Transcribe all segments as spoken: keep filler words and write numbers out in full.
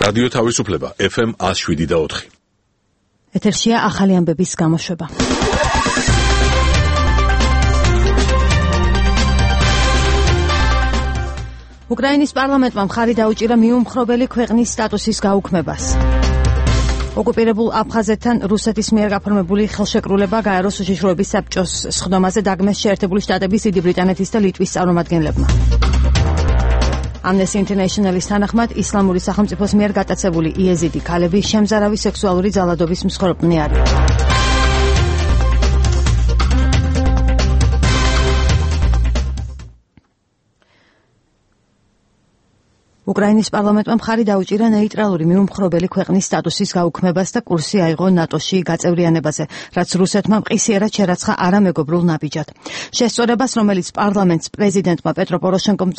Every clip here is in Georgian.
რადიო თავისუფლება ეფ ემ one oh seven და four. ეთერშია ახალი ამბების გამოშვება. უკრაინის პარლამენტმა მხარი დაუჭირა მიუმხრობელი ქვეყნის სტატუსის გაუქმებას. ოკუპირებულ აფხაზეთთან რუსეთის მიერ გაფორმებული ხელშეკრულება გაეროს უშიშროების საბჭოს სხდომაზე დაგმეს შეერთებული შტატების, დიდი ბრიტანეთის და ლიტვის წარმომადგენლებმა. Amnesty International-ის თანახმად ისლამური სახელმწიფოს მიერ გატაცებული იეზიდი ქალები შემზარავი სექსუალური ძალადობის მსხვერპლნი არიან. უკრაინის პარლამენტმა მხარი დაუჭირა ნეიტრალური მიუმხრობელი ქვეყნის სტატუსის გაუქმებას და კურსი აიღო ნატოში გაწევრიანებაზე, რაც რუსეთმა მყისიერად შერაცხა არამეგობრულ ნაბიჯად. შესწორებას, რომელიც პარლამენტს პრეზიდენტმა პეტრო პოროშენკომ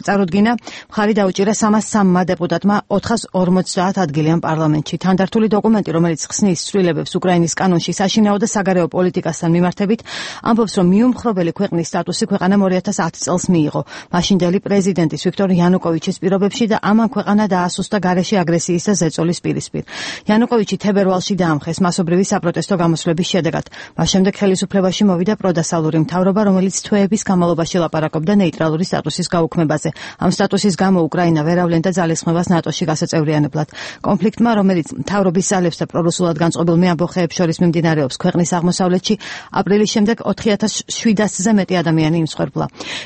წარუდგინა, მხარი დაუჭირა სამას სამმა დეპუტატმა ოთხას ორმოცდაათ ადგილიან პარლამენტში. თანდართული დოკუმენტი, რომელიც ხსნის ცვლილებებს უკრაინის კანონში საშინაო და საგარეო პოლიტიკასთან მიმართებით, ამბობს, რომ მიუმხრობელი ქვეყნის სტატუსი ქვეყანამ two thousand ten წელს მიიღო. მაშინდელი პრეზიდენტის ვიქტორ იანუკოვიჩის პირობებში და ამან ქვეყანა დაასუსტა გარეშე აგრესიის და ზეწოლის პირისპირ. იანუკოვიჩი თებერვალში დაამხეს მასობრივი საპროტესტო გამოსვლების შედეგად. მას შემდეგ ხელისუფლებაში მოვიდა პროდასალური მთავრობა, რომელიც თვეების განმავლობაში ლაპარაკობდა ნეიტრალური სტატუსის გაუქმებაზე. ამ სტატუსის გამო უკრაინა ვერ ავლენდა ძალისხმევას ნატოში გასაწევრიანებლად. კონფლიქტმა, რომელიც მთავრობის ძალებს და პრორუსულად განწყობილ მეამბოხეებს შორის მიმდინარეობს ქვეყნის აღმოსავლეთში, აპრილის შემდეგ four thousand seven hundred-ზე მეტი ადამიანი იმსხვერპლა.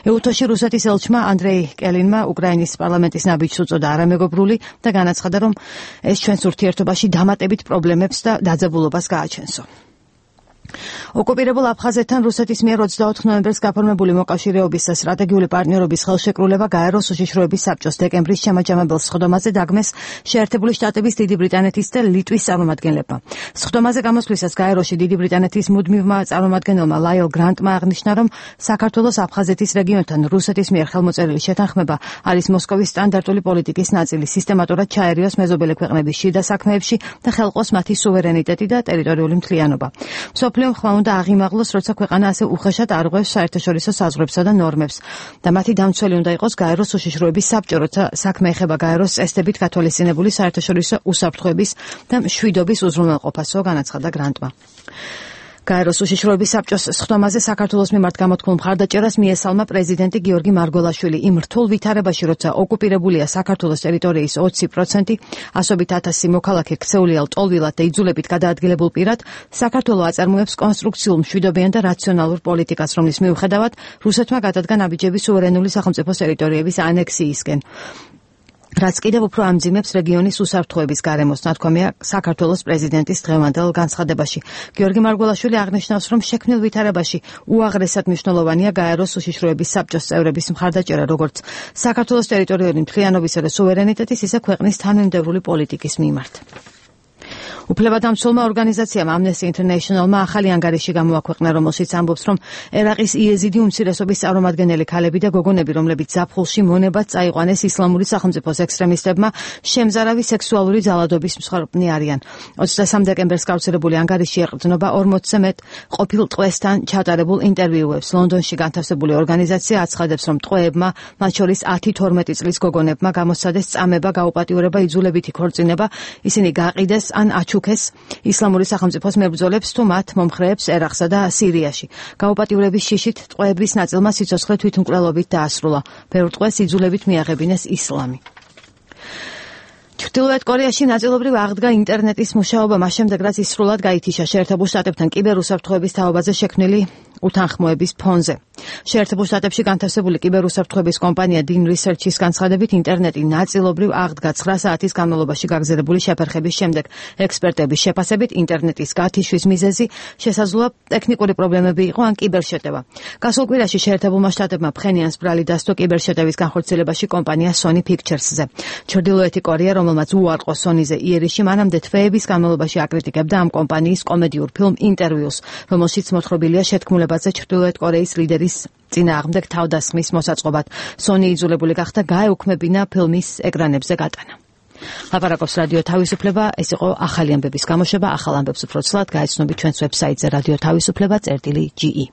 ეუთოში რუსეთის ელჩმა ანდრეი კელინმა უკრაინის პარლამენტის ნაბიჯს უწოდა არამეგობრული და განაცხადა, რომ ეს ჩვენს ურთიერთობაში დამატებით პრობლემებს და დაძაბულობას გააჩენსო. ოკუპირებულ აფხაზეთთან რუსეთის მიერ twenty-fourth ნოემბერს გაფორმებული მოკავშირეობის და სტრატეგიული პარტნიორობის ხელშეკრულება გაეროს უშიშროების საბჭოს დეკემბრის შემაჯამებელ სხდომაზე დაგმეს შეერთებული შტატების, დიდი ბრიტანეთის და ლიტვის წარმომადგენლებმა. სხდომაზე გამოსვლისას გაეროში დიდი ბრიტანეთის მუდმივმა წარმომადგენელმა ლაილ გრანტმა აღნიშნა, რომ საქართველოს აფხაზეთის რეგიონთან რუსეთის მიერ ხელმოწერილი შეთანხმება არის მოსკოვის სტანდარტული პოლიტიკის ნაწილი, სისტემატურად ჩაერიოს მეზობელი ქვეყნების შიდა საქმეებში და ხელყოს მათი სუვერენიტეტი და ტერიტორიული მთლიანობა. მსოფლიომ ხმა უნდა აღიმაღლოს, როცა ქვეყანა ასე უხეშად არღვევს საერთაშორისო საზღვრებსა და ნორმებს და მათი დამცველი უნდა იყოს გაეროს უშიშროების საბჭო, როცა საქმე ეხება გაეროს წესდებით გათვალისწინებული საერთაშორისო უსაფრთხოების და მშვიდობის უზრუნველყოფასო, განაცხადა გრანტმა. გაეროს უშიშროების საბჭოს სხდომაზე საქართველოს მიმართ გამოთქმულ მხარდაჭერას მიესალმა პრეზიდენტი გიორგი მარგველაშვილი იმ რთულ ვითარებაში, როცა ოკუპირებულია საქართველოს ტერიტორიის twenty percent, ასობით ათასი მოქალაქე ქცეულია ლტოლვილად და იძულებით გადაადგილებულ პირად, საქართველო აწარმოებს კონსტრუქციულ მშვიდობიან და რაციონალურ პოლიტიკას, რომლის მიუხედავად რუსეთმა გადადგა ნაბიჯები სუვერენული სახელმწიფოს ტერიტორიების ანექსიისკენ, რაც კიდევ უფრო ამძიმებს რეგიონის უსაფრთხოების გარემოს, ნათქვამია საქართველოს პრეზიდენტის დღევანდელ განცხადებაში. გიორგი მარგველაშვილი აღნიშნავს, რომ შექმნილ ვითარებაში უაღრესად მნიშვნელოვანია გაეროს უშიშროების საბჭოს წევრების მხარდაჭერა, როგორც საქართველოს ტერიტორიული მთლიანობისა და სუვერენიტეტის, ისე ქვეყნის თანმიმდევრული პოლიტიკის მიმართ. უფლებადამცველმა ორგანიზაციამ Amnesty International-მა ახალი ანგარიში გამოაქვეყნა, რომელშიც ამბობს, რომ ერაყის იეზიდი უმცირესობის წარმომადგენელი ქალები და გოგონები, რომლებიც ზაფხულში მონებად წაიყვანეს ისლამური სახელმწიფოს ექსტრემისტებმა, შემზარავი სექსუალური ძალადობის მსხვერპლნი არიან. twenty-three დეკემბერს გავრცელებული ანგარიში ეყრდნობა ორმოცზე მეტ ყოფილ ტყვესთან ჩატარებულ ინტერვიუებს. ლონდონში განთავსებული ორგანიზაცია აცხადებს, რომ ტყვეებმა, მათ შორის ten twelve წლის გოგონებმა გამოსცადეს წამება, გაუპატიურება, იძულებითი ქორწინება, ისინი გაყიდეს ან აჩუქეს ისლამური სახელმწიფოს მებრძოლებს თუ მათ მომხრეებს ერაყსა და სირიაში. გაუპატიურების შიშით ტყვეების ნაწილმა სიცოცხლე თვითმკვლელობით დაასრულა. ბევრ ტყვეს იძულებით მიაღებინეს ისლამი. ჩრდილოეთ კორეაში ნაწილობრივ აღდგა ინტერნეტის მუშაობა, მას შემდეგ რაც ისრულად გაითიშა შეერთებულ შტატებთან კიბერუსაფრთხოების თაობაზე შექმნილი უთანხმოების ფონზე. შეერთებულ შტატებში განთავსებული კიბერუსაფრთხოების კომპანია Dean Research-ის განცხადებით, ინტერნეტი ნაწილობრივ აღდგა nine საათის განმავლობაში გაგზელებული შეფერხების შემდეგ. ექსპერტების შეფასებით, ინტერნეტის გათიშვის მიზეზი შესაძლოა ტექნიკური პრობლემები იყო ან კიბერშეტევა. გასულ კვირაში შეერთებულმა შტატებმა ფხენიანს ბრალი დასდო კიბერშეტევის განხორციელებაში კომპანია Sony Pictures-ზე. ჩრდილოეთი კორეა, რომელმაც უარყო Sony-ზე იერიში, მანამდე თვეების განმავლობაში აკრიტიკებდა ამ კომპანიის კომედიურ ფილმ ინტერვიუს, რომელშიც მოთხრობილია შეთქმულებაზე ჩრდილოეთ კორეის ლიდერის წინააღმდეგ თავდასხმის მოსაწყობად. Sony იძულებული გახდა გაეუქმებინა ფილმის ეკრანებზე გატანა. ლაპარაკობს რადიო თავისუფლება, ეს იყო ახალი ამბების გამოშვება, ახალ ამბებს უფრო ცვლად გაეცნობით ჩვენს ვებსაიტზე რადიო თავისუფლება წერტილი ჯი ი.